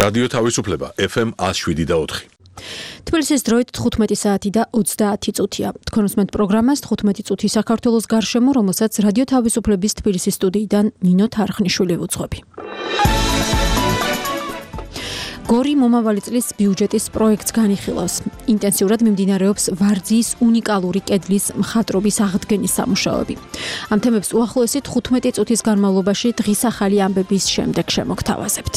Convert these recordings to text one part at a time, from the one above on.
რადიო თავისუფლება FM 107.4. თბილისის დროით 15 საათი და 30 წუთია. თქვენ უსმენთ პროგრამას 15 წუთი საქართველოს გარშემო, რომელსაც რადიო თავისუფლების თბილისის სტუდიიდან ნინო თარხნიშვილი ვუძღვები. გორი მომავალი წლის ბიუჯეტის პროექტს განიხილავს. ინტენსიურად მიმდინარეობს ვარძიის უნიკალური კედლის მხატვრობის აღდგენის სამუშაოები. ამ თემებს უახლოესი 15 წუთის განმავლობაში დღის ახალი ამბების შემდეგ შემოგთავაზებთ.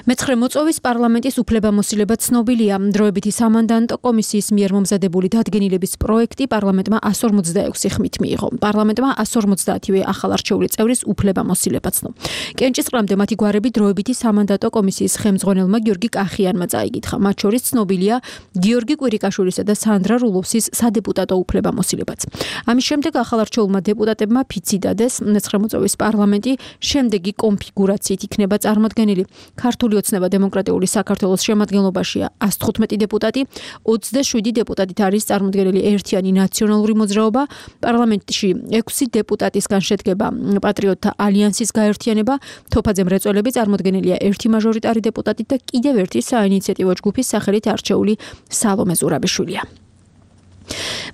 მეცხრე მოწვევის პარლამენტის უფლებამოსილება ცნობილია. დროებითი სამანდატო კომისიის მიერ მომზადებული დადგენილების პროექტი პარლამენტმა 156 ხმით მიიღო. პარლამენტმა 150-ვე ახალარჩეული წევრის უფლებამოსილება ცნო. კენჭისყრამდე მათი გვარები დროებითი სამანდატო კომისიის ხელმძღვანელმა გიორგი კახიანმა წაიკითხა. მათ შორის ცნობილია გიორგი კვირიკაშვილისა და სანდრა რულოვსის სადეპუტატო უფლებამოსილებაც. ამის შემდეგ ახალარჩეულმა დეპუტატებმა ფიცი დადეს. მეცხრე მოწვევის პარლამენტი შემდეგი კონფიგურაციით იქნება წარმოდგენილი. ქართული ოცნება დემოკრატიული საქართველოს შემადგენლობაშია 115 დეპუტატი, 27 დეპუტატით არის წარმოდგენილი ერთიანი ნაციონალური მოძრაობა, პარლამენტში 6 დეპუტატისგან შედგება პატრიოტთა ალიანსის გაერთიანება, თოფაძე მრეწველები წარმოდგენილია ერთი მაჟორიტარი დეპუტატით და კიდევ ერთი საინიციატივო ჯგუფის სახელით არჩეული სალომე ზურაბიშვილია.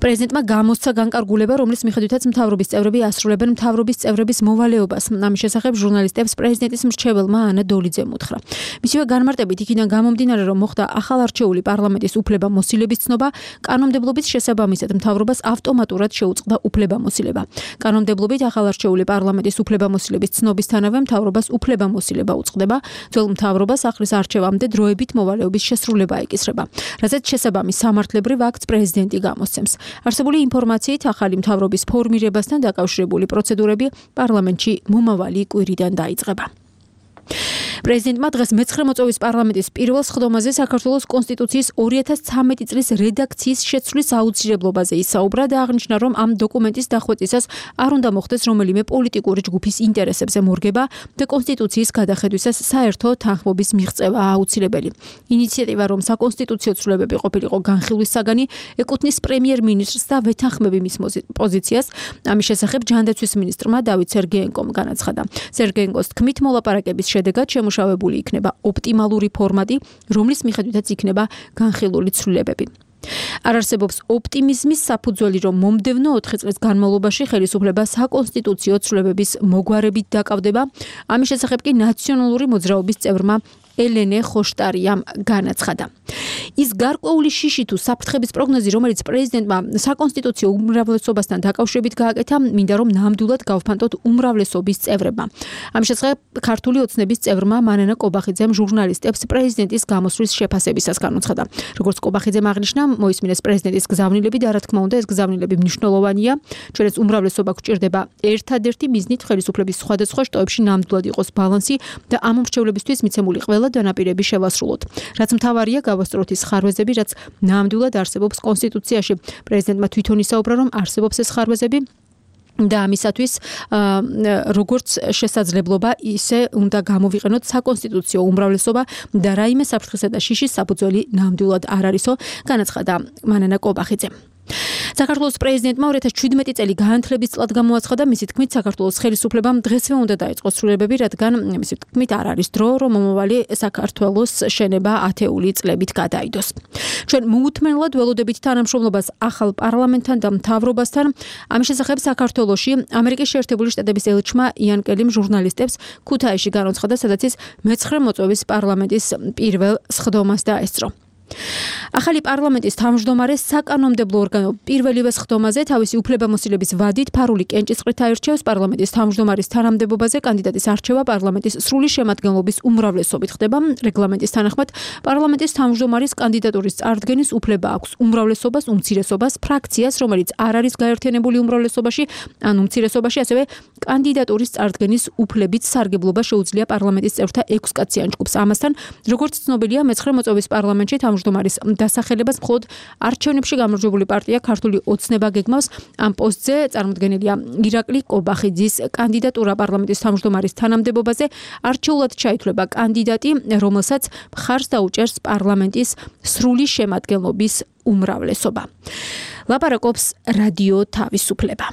პრეზიდენტმა გამოსცა განკარგულება, რომლის მიხედვითაც მთავრობის წევრები ასრულებენ მთავრობის წევრების მოვალეობას. ამის შესახებ ჟურნალისტებს პრეზიდენტის მრჩეველმა ანა დოლიძემ უთხრა. მისივე განმარტებით იქიდან გამომდინარე, რომ მოხდა ახალარჩეული პარლამენტის უფლებამოსილების ცნობა, კანონმდებლობის შესაბამისად მთავრობას ავტომატურად შეუწყდა უფლებამოსილება. კანონმდებლობით ახალარჩეული პარლამენტის უფლებამოსილების ცნობისთანავე მთავრობას უფლებამოსილება უწყდება, ძველ მთავრობას ახლის არჩევამდე დროებით მოვალეობის შესრულება ეკისრება, რასაც შესაბამის სამართლებრივ აქტს პრეზიდენტი გამოსცემს. არსებული ინფორმაციით ახალი მთავრობის ფორმირებასთან დაკავშირებული პროცედურები პარლამენტში მომავალი კვირიდან დაიწყება. პრეზიდენტმა დღეს მეცხრე მოწვევის პარლამენტის პირველ სხდომაზე საქართველოს კონსტიტუციის 2013 წლის რედაქციის შეცვლის აუცილებლობაზე ისაუბრა და აღნიშნა, რომ ამ დოკუმენტის დახვეწისას არ უნდა მოხდეს რომელიმე პოლიტიკური ჯგუფის ინტერესებზე მორგება და კონსტიტუციის გადახედვისას საერთო თანხმობის მიღწევა აუცილებელი. ინიციატივა, რომ საკონსტიტუციო ცვლილებები ყოფილიყო განხილვის საგანი, ეკუთვნის პრემიერ-მინისტრს და ვეთანხმები მის პოზიციას. ამის შესახებ ჯანდაცვის მინისტრმა დავით სერგეენკომ განაცხადა. სერგეენკოს თქმით, მოლაპარაკების შედეგად შემუშავებული იქნება ოპტიმალური ფორმატი, რომლის მიხედვითაც იქნება განხილული ცვლილებები. არ არსებობს ოპტიმიზმის საფუძველი, რომ მომდევნო 4 წლის განმავლობაში ხელისუფლება საკონსტიტუციო ცვლილებების მოგვარებით დაკავდება. ამის შესახებ კი ნაციონალური მოძრაობის წევრმა ელენე ხოშტარიამ განაცხადა. ის გარკვეული შიში თუ საფრთხების პროგნოზი, რომელიც პრეზიდენტმა საკონსტიტუციო უმრავლესობასთან დაკავშირებით გააკეთა, მინდა რომ ნამდვილად გავფანტოთ უმრავლესობის წევრებმა. ამის შესახებ ქართული ოცნების წევრმა მანანა კობახიძემ ჟურნალისტებს პრეზიდენტის გამოსვლის შეფასებისას განუცხადა. როგორც კობახიძემ აღნიშნა, მოისმინეს პრეზიდენტის გზავნილები და რა თქმა უნდა ეს გზავნილები მნიშვნელოვანია. ჩვენს უმრავლესობა გვჭირდება ერთადერთი მიზნით ხელისუფლების სხვადასხვა შტოებში ნამდვილად იყოს ბალანსი და ამ მრჩევლებისთვის მიცემული ყველა დანაპირები შევასრულოთ. რაც მთავარია გავასწოროთ ის ხარვეზები, რაც ნამდვილად არსებობს კონსტიტუციაში. პრეზიდენტმა თვითონ ისაუბრა, რომ არსებობს ეს ხარვეზები და ამისათვის როგორც შესაძლებლობა ისე უნდა გამოვიყენოთ საკონსტიტუციო უმრავლესობა და რაიმე საფრთხისა და შიშის საფუძველი ნამდვილად არ არისო, განაცხადა მანანა კობახიძე. საქართველოს პრეზიდენტმა 2017 წელი განათლების წლად გამოაცხადა. მისი თქმით, საქართველოს ხელისუფლებამ დღესვე უნდა დაიწყოს ცვლილებები, რადგან მისი თქმით არ არის დრო, რომ მომავალი საქართველოს შენება ათეული წლებით გადაიდოს. ჩვენ მოუთმენლად ველოდებით თანამშრომლობას ახალ პარლამენტთან და მთავრობასთან. ამის შესახებ საქართველოში ამერიკის შეერთებული შტატების ელჩმა იან კელიმ ჟურნალისტებს ქუთაისში განაცხადა, სადაც ის მეცხრე მოწვევის პარლამენტის პირველ სხდომას დაესწრო. ახალი პარლამენტის თავმჯდომარე საკანონმდებლო ორგანო პირველივე სხდომაზე თავისი უფლებამოსილების ვადით ფარული კენჭისყრით აირჩევს. პარლამენტის თავმჯდომარის თანამდებობაზე კანდიდატის არჩევა პარლამენტის სრული შემადგენლობის უმრავლესობით ხდება. რეგლამენტის თანახმად პარლამენტის თავმჯდომარის კანდიდატურის წარდგენის უფლება აქვს უმრავლესობას, უმცირესობას, ფრაქციას, რომელიც არ არის გაერთიანებული უმრავლესობაში ან უმცირესობაში, ასევე კანდიდატურის წარდგენის უფლებით სარგებლობა შეუძლია პარლამენტის წევრთა 6 კაციან ჯგუფს. ამასთან, როგორც ცნობილია, მეცხრე მოწვევის პარლამენტში თავმჯდომარის დასახელებას მხოლოდ არჩევნებში გამარჯვებული პარტია ქართული ოცნება გეგმავს. ამ პოსტზე წარმოდგენილია ირაკლი კობახიძის კანდიდატურა პარლამენტის თავმჯდომარის თანამდებობაზე. არჩეულად ჩაითვლება კანდიდატი, რომელსაც მხარს დაუჭერს პარლამენტის სრული შემადგენლობის უმრავლესობა. ლაპარაკობს რადიო თავისუფლება.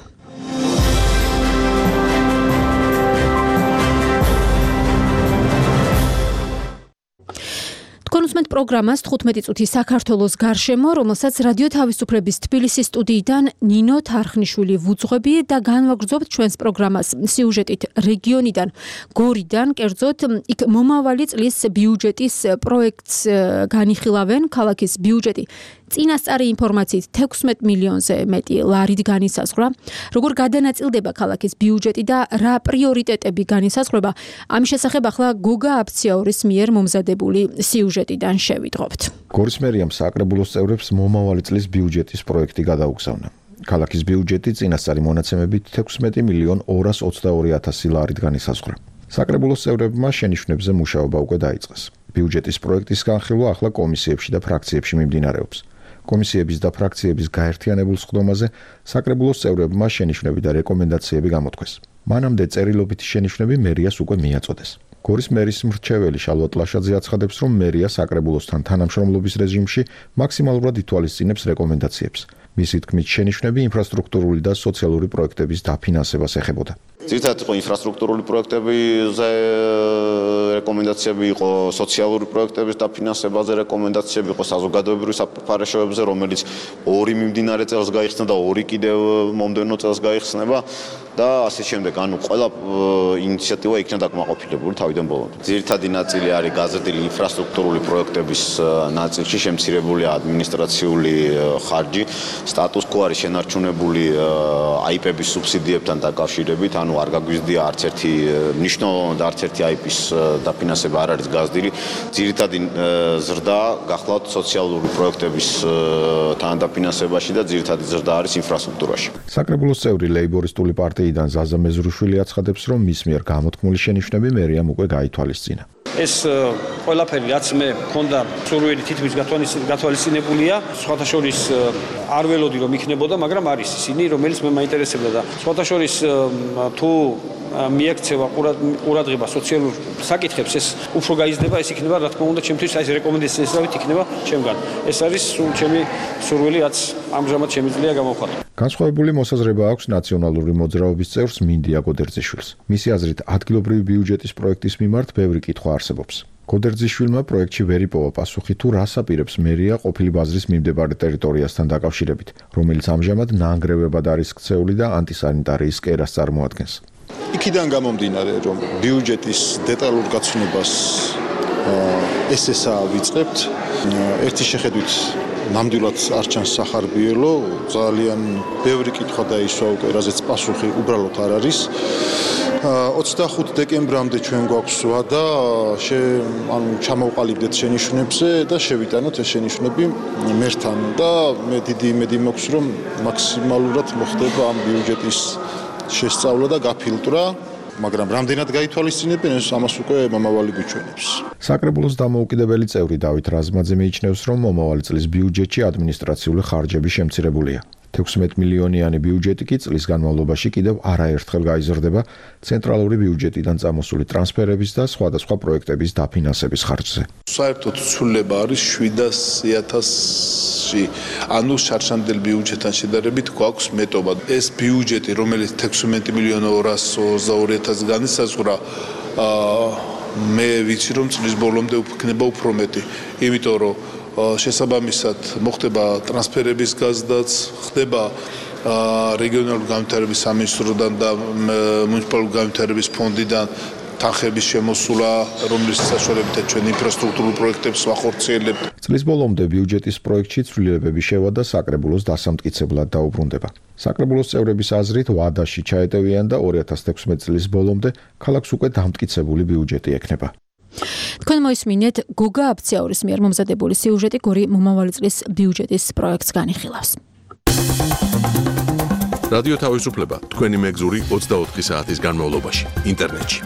თქვენ უსმენთ პროგრამას 15 წუთი საქართველოს გარშემო, რომელსაც რადიო თავისუფლების თბილისის სტუდიიდან ნინო თარხნიშვილი ვუძღვები და განვაგრძობთ ჩვენს პროგრამას სიუჟეტით რეგიონიდან, გორიდან, კერძოდ იქ მომავალი წლის ბიუჯეტის პროექტს განიხილავენ. ქალაქის ბიუჯეტი წინასწარი ინფორმაციით 16 მილიონზე მეტი ლარით განისაზღვრა. როგორ გადანაწილდება ქალაქის ბიუჯეტი და რა პრიორიტეტები განისაზღვრება, ამის შესახებ ახლა გოგა აფციაურის მიერ მომზადებული სიუჟეტიდან შევიდღობთ. გორის მერიამ საკრებულოს წევრებს მომავალი წლის ბიუჯეტის პროექტი გადაუგზავნა. ქალაქის ბიუჯეტი წინასწარი მონაცემებით 16 მილიონ 222,000 ლარით განისაზღვრა. საკრებულოს წევრებმა შენიშვნებზე მუშაობა უკვე დაიწყეს. ბიუჯეტის პროექტის განხილვა ახლა კომისიებში და ფრაქციებში მიმდინარეობს. კომისიების და ფრაქციების გაერთიანებულ სხდომაზე საკრებულოს წევრებმა შენიშვნები და რეკომენდაციები გამოთქვეს. მანამდე წერილობითი შენიშვნები მერიას უკვე მიაწოდეს. გორის მერის მრჩეველი შალვა ტლაშაძე აცხადებს, რომ მერია საკრებულოსთან თანამშრომლობის რეჟიმში მაქსიმალურად ითვალისწინებს რეკომენდაციებს. მისი თქმით, შენიშვნები ინფრასტრუქტურული და სოციალური პროექტების დაფინანსებას ეხებოდა. ძირითადად იყო ინფრასტრუქტურული პროექტებზე რეკომენდაციები, იყო სოციალური პროექტების დაფინანსებაზე რეკომენდაციები, იყო საზოგადოებრივი საპარაშოებზე, რომელიც 2 მიმდინარე წელს გაიხსნა და 2 კიდევ მომდევნო წელს გაიხსნება და ასე შემდეგ. ანუ ყველა ინიციატივა იქნა დაკმაყოფილებული თავიდან ბოლომდე. ძირითადი ნაწილი არის გაზრდილი ინფრასტრუქტურული პროექტების ნაწილში შემცირებული ადმინისტრაციული ხარჯი, სტატუს კო არის შენარჩუნებული აიპების სუბსიდიებთან დაკავშირებით, ანუ არ გაგვიზრდია არც ერთი მნიშვნელოვანი და არც ერთი აიპის დაფინანსება არ არის გაზრდილი. ძირითადი ზრდა გახლავთ სოციალური პროექტების თანადაფინანსებაში და ძირითადი ზრდა არის ინფრასტრუქტურაში. საკრებულოს წევრი ლეიბორისტული პარტიიდან ზაზა მეზრუშვილი აცხადებს, რომ მის მიერ გამოთქმული შენიშვნები მერიამ უკვე გაითვალისწინა. ეს ყველაფერი რაც მე მქონდა სურვილი თითქმის გათვალისწინებულია, სხვათა შორის არ ველოდი რომ იქნებოდა, მაგრამ არის ისინი, რომელიც მე მაინტერესებდა და სხვათა შორის თუ მიექცევა ყურადღება სოციალურ საკითხებს, ეს უფრო გაიზრდება, ეს იქნება რა თქმა უნდა ჩემთვის ეს რეკომენდაციების რავით იქნება ჩემგან. ეს არის ჩემი სურვილი, რაც ამჟამად შემიძლია გამოვხატო. განსხვავებული მოსაზრება აქვს ნაციონალური მოძრაობის წევრს მინდია გოდერძიშვილს. მისი აზრით, ადგილობრივი ბიუჯეტის პროექტის მიმართ ბევრი კითხვა არსებობს. გოდერძიშვილმა პროექტში ვერ იპოვა პასუხი თუ რას აპირებს მერია ყოფილი ბაზრის მიმდებარე ტერიტორიასთან დაკავშირებით, რომელიც ამჟამად ნანგრევებად არის ქცეული და ანტისანიტარიის კერას წარმოადგენს. იქიდან გამომდინარე, რომ ბიუჯეტის დეტალურ გაცნობას ესეა ვიწყებთ, ერთი შეხედვით ნამდვილად არ ჩანს სახარბიელო, ძალიან ბევრი კითხვა დაისვა უკვე, რაზეც პასუხი უბრალოდ არ არის. 25 დეკემბრამდე ჩვენ გვაქვს ვადა, ჩამოვყალიბდეთ შენიშვნებზე და შევიტანოთ ეს შენიშვნები მერთან და მე დიდი იმედი მაქვს, რომ მაქსიმალურად მოხდება ამ ბიუჯეტის შესწავლა და გაფილტრა, მაგრამ რამდენად გაითვალისწინებენ ეს ამას უკვე მომავალი გვიჩვენებს. საკრებულოს დამოუკიდებელი წევრი დავით რაზმაძე მიიჩნევს, რომ მომავალი წლის ბიუჯეტში ადმინისტრაციული ხარჯები შემცირებულია. 16 მილიონიანი ბიუჯეტი კი წლის განმავლობაში კიდევ არაერთხელ გაიზრდება ცენტრალური ბიუჯეტიდან წამოსული ტრანსფერების და სხვადასხვა პროექტების დაფინანსების ხარჯზე. საერთოდ ცვლილება არის 700,000-ში, ანუ შარშანდელ ბიუჯეტთან შედარებით გვაქვს მეტობა. ეს ბიუჯეტი, რომელიც 16 მილიონ 222,000 განისაზღვრა, მე ვიცი რომ წლის ბოლომდე იქნება უფრო მეტი, იმიტომ რომ შესაბამისად მოხდება ტრანსფერების გაზრდაც, ხდება რეგიონალური განვითარების სამინისტროდან და მუნიციპალური განვითარების ფონდიდან თანხების შემოსულა, რომლის საშუალებითაც ჩვენ ინფრასტრუქტურულ პროექტებს ვახორციელებთ. წლის ბოლომდე ბიუჯეტის პროექტში ცვლილებები შევა და საკრებულოს დასამტკიცებლად დაუბრუნდება. საკრებულოს წევრების აზრით ვადაში ჩაეტევიან და 2016 წლის ბოლომდე ქალაქს უკვე დამტკიცებული ბიუჯეტი ექნება. თქვენ მოისმინეთ გოგა აფციაურის მიერ მომზადებული სიუჟეტი გორი მომავალი წლის ბიუჯეტის პროექტს განიხილავს. რადიო თავისუფლება თქვენი მეგზური 24 საათის განმავლობაში ინტერნეტში.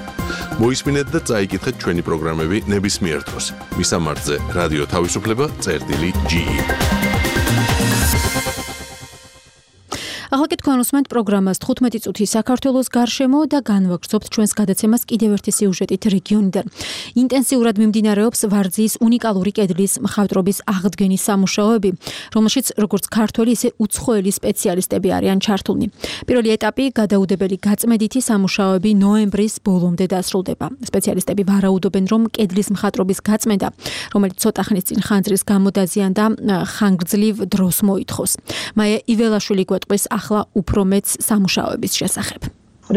მოისმინეთ და წაიკითხეთ ჩვენი პროგრამები ნებისმიერ დროს. მისამართზე რადიო თავისუფლება.ge ახლა კი თქვენ უსმენთ პროგრამას 15 წუთი საქართველოს გარშემო და განვაგრძობთ ჩვენს გადაცემას კიდევ ერთი სიუჟეტით რეგიონიდან. ინტენსიურად მიმდინარეობს ვარძიის უნიკალური კედლის მხატვრობის აღდგენის სამუშაოები, რომელშიც როგორც ქართველი, ისე უცხოელი სპეციალისტები არიან ჩართულნი. პირველი ეტაპი გადაუდებელი გაწმედითი სამუშაოები ნოემბრის ბოლომდე დასრულდება. სპეციალისტები ვარაუდობენ, რომ კედლის მხატვრობის გაწმენდა, რომელიც ცოტა ხნის წინ ხანძრის გამოდაზიანდა, ხანგრძლივ დროს მოითხოვს. მაია იველაშვილი გვეტყვის ახლა უფრო მეც სამუშაოების შესახებ.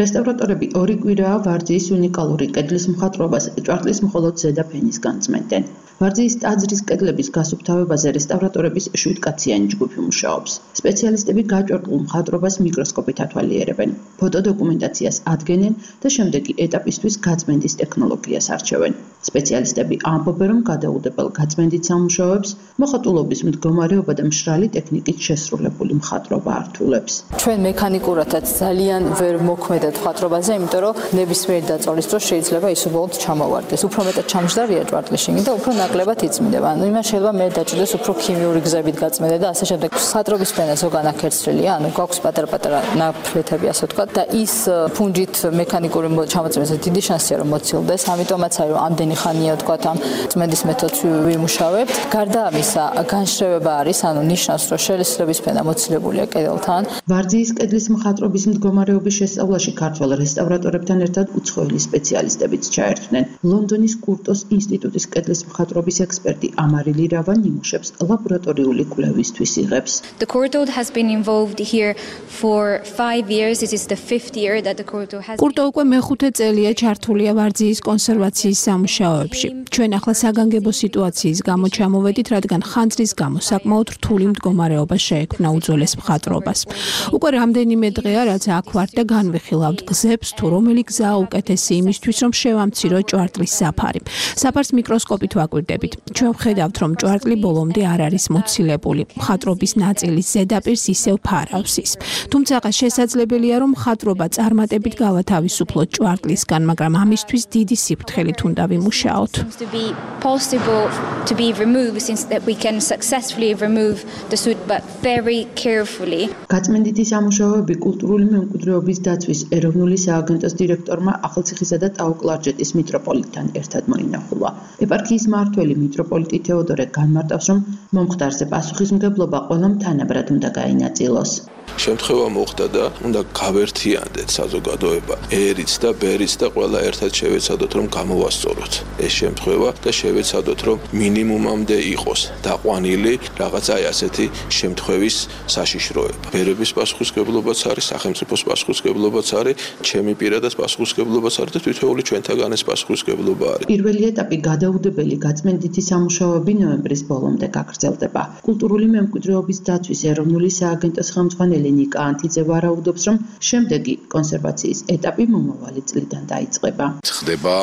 რესტავრატორები 2 კვირაა ვარძიის უნიკალური კედლის მხატვრობას ჭვარტლის მხოლოდ ზედა ფენისგან წმენდნენ. ვარძიის ტაძრის კედლების გასუფთავებაზე რესტავრატორების 7-კაციანი ჯგუფი მუშაობს. სპეციალისტები გაჭვარტულ მხატვრობას მიკროსკოპით ათვალიერებენ, ფოტოდოკუმენტაციას ადგენენ და შემდეგი ეტაპისთვის გაწმენდის ტექნოლოგიას არჩევენ. სპეციალისტები ამბობენ, რომ გადაუდებელ გაწმენდით სამუშაოებს მოხატულობის მდგომარეობა და მშრალი ტექნიკით შესრულებული მხატვრობა ართულებს. ჩვენ მექანიკურადაც ძალიან ვერ მოქმედად მხატვრობაზე, იმიტომ რომ ნებისმიერი დაწოლის დროს შეიძლება ის უბრალოდ ჩამოვარდეს. უფრო მეტად ჩამჯდარია ჭვარტლის შიგნით და უფრო ნაკლებად იწმინდება. ანუ იმას შეიძლება მე დაჭდეს უფრო ქიმიური გზებით გაწმენდა და ასე შემდეგ. მხატვრობის ფენა ზოგან აქერცრილია, ანუ გვაქვს პატარ-პატარა ნაფლეთები, ასე ვთქვათ, და ის ფუნჯით მექანიკური ჩამოწმებაზე დიდი შანსია რომ მოცილდეს. ამიტომაც არის რომ ამდენი ხანია ვთქვათ ამ წმენდის მეთოდს ვიმუშავებთ. გარდა ამისა, განშრევება არის, ანუ ნიშნავს რომ შელესილების ფენა მოცილებულია კედელთან. ვარძიის კედლის მხატვრობის მდგომარეობის შესწავლაში ქართველ რესტავრატორებთან ერთად უცხოელი სპეციალისტებიც ჩაერთვნენ. ლონდონის კურტოს ინსტიტუტის კედლის მხატვრობის ექსპერტი ამარილი რავა ნიმუშებს ლაბორატორიული კვლევისთვის იღებს. The Kurto has been involved here for 5 years. This is the 5th year that the Kurto has კურტო უკვე მეხუთე წელია ჩართულია ვარძიის კონსერვაციის სამუშაოებში. ჩვენ ახლა საგანგებო სიტუაციის გამო ჩამოვედით, რადგან ხანძრის გამო საკმაოდ რთული მდგომარეობა შეექმნა უძველეს მხატვრობას. უკვე რამდენიმე დღეა, რაც აქ ვართ და განვიხილავთ გზებს, თუ რომელი გზაა უკეთესი იმისთვის, რომ შევამციროთ ჭვარტლის საფარი. საფარს მიკროსკოპით ვაკვირდებით. ჩვენ ვხედავთ, რომ ჭვარტლი ბოლომდე არ არის მოცილებული. მხატვრობის ნაწილის ზედაპირს ისევ ფარავს ის. თუმცა შესაძლებელია, რომ მხატვრობა წარმატებით გავათავისუფლოთ ჭვარტლისგან, მაგრამ ამისთვის დიდი სიფრთხილით უნდა ვიმუშაოთ. to be removed since that we can successfully remove the soot but very carefully. გაწმენდითი სამუშაოები კულტურული მემკვიდრეობის დაცვის ეროვნული სააგენტოს დირექტორმა ახალციხისა და ტაო-კლარჯეთის მიტროპოლიტთან ერთად მოინახულა. ეპარქიის მმართველი მიტროპოლიტი თეოდორე განმარტავს, რომ მომხდარზე პასუხისმგებლობა ყველამ თანაბრად უნდა გაინაწილოს. შემთხვევა მოხდა და უნდა გავერთიანდეთ საზოგადოება ერიც და ბერიც და ყველა ერთად შევეცადოთ რომ გამოვასწოროთ ეს შემთხვევა და შევეცადოთ რომ მინიმუმამდე იყოს დაყვანილი რაღაცა ასეთი შემთხვევის საშიშროება. ბერების პასუხისმგებლობაც არის, სახელმწიფოს პასუხისმგებლობაც არის, ჩემი პირადად პასუხისმგებლობაც არის და თითოეული ჩვენთაგან ეს პასუხისმგებლობა არის. პირველი ეტაპი გადაუდებელი გაწმენდითი სამუშაოები ნოემბრის ბოლომდე გაგრძელდება. კულტურული მემკვიდრეობის დაცვის ეროვნული სააგენტოს ხელმძღვანელი ნიკა ანთიძე ვარაუდობს, რომ შემდეგი კონსერვაციის ეტაპი მომავალი წლიდან დაიწყება. ხდება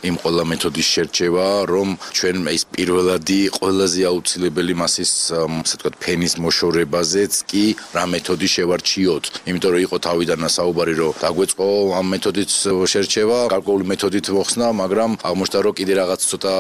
იმ ყველა მეთოდის შერჩევა, რომ ჩვენ ის პირველადი ყველაზე აუცილებელი მასის, ასე ვთქვათ, ფენის მოშორებაზეც კი რა მეთოდი შევარჩიოთ. იმიტომ რომ იყო თავიდან საუბარი, რომ დაგვეწყო ამ მეთოდით შერჩევა, გარკვეული მეთოდით მოხსნა, მაგრამ აღმოჩნდა, რომ კიდე რაღაც ცოტა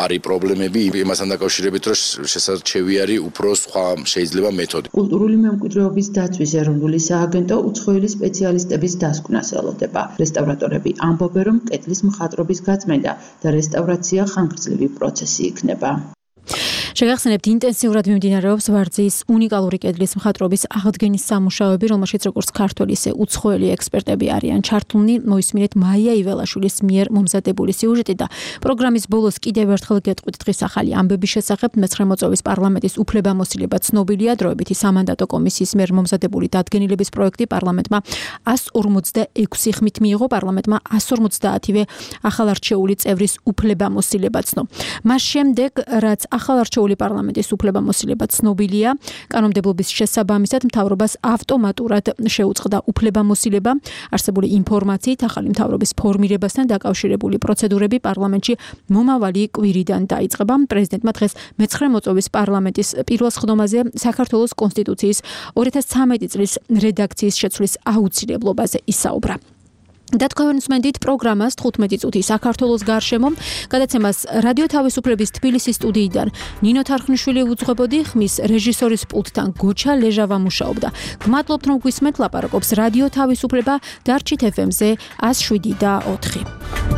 არის პრობლემები იმასთან დაკავშირებით, რომ შესაძლებელი არის უფრო სხვა შეიძლება მეთოდი. კულტურული მემკვიდრეობის დაცვის ეროვნული სააგენტო უცხოელი სპეციალისტების დასკვნას ელოდება. რესტავრატორები ამბობენ, რომ კედლის მხატვრობის გაწმენდა და რესტავრაცია ხანგრძლივი პროცესი იქნება. შეგახსენებთ, ინტენსიურად მიმდინარეობს ვარძიის უნიკალური კედლის მხატვრობის აღდგენის სამუშაოები, რომელშიც როგორც ქართველი, ისე უცხოელი ექსპერტები არიან ჩართულნი. მოისმინეთ მაია იველაშვილის მიერ მომზადებული სიუჟეტი და პროგრამის ბოლოს კიდევ ერთხელ გეტყვით დღის ახალი ამბების შესახებ. მე-9 მოწვევის პარლამენტის უფლებამოსილება ცნობილია. დროებითი სამანდატო კომისიის მიერ მომზადებული დადგენილების პროექტი პარლამენტმა 156 ხმით მიიღო. პარლამენტმა 150-ივე ახალარჩეული წევრის უფლებამოსილება ცნო. მას შემდეგ, რაც ახალარჩეული პარლამენტის უფლებამოსილება ცნობილია, კანონმდებლობის შესაბამისად მთავრობას ავტომატურად შეუწყდა უფლებამოსილება. არსებული ინფორმაციით ახალი მთავრობის ფორმირებასთან დაკავშირებული პროცედურები პარლამენტში მომავალი კვირიდან დაიწყება. პრეზიდენტმა დღეს მე-9 მოწვევის პარლამენტის პირველ სხდომაზე საქართველოს კონსტიტუციის 2013 წლის რედაქციის შეცვლის აუცილებლობაზე ისაუბრა. და თქვენ უსმენთ პროგრამას 15 წუთი საქართველოს გარშემო. გადაცემას რადიო თავისუფლების თბილისის სტუდიიდან ნინო თარხნიშვილი უძღვებოდი, ხმის რეჟისორის პულტთან გოჩა ლეჟავა მუშაობდა. გმადლობთ რომ გვისმენთ, ლაპარაკობს რადიო თავისუფლება, დარჩით FM-ზე 107.4.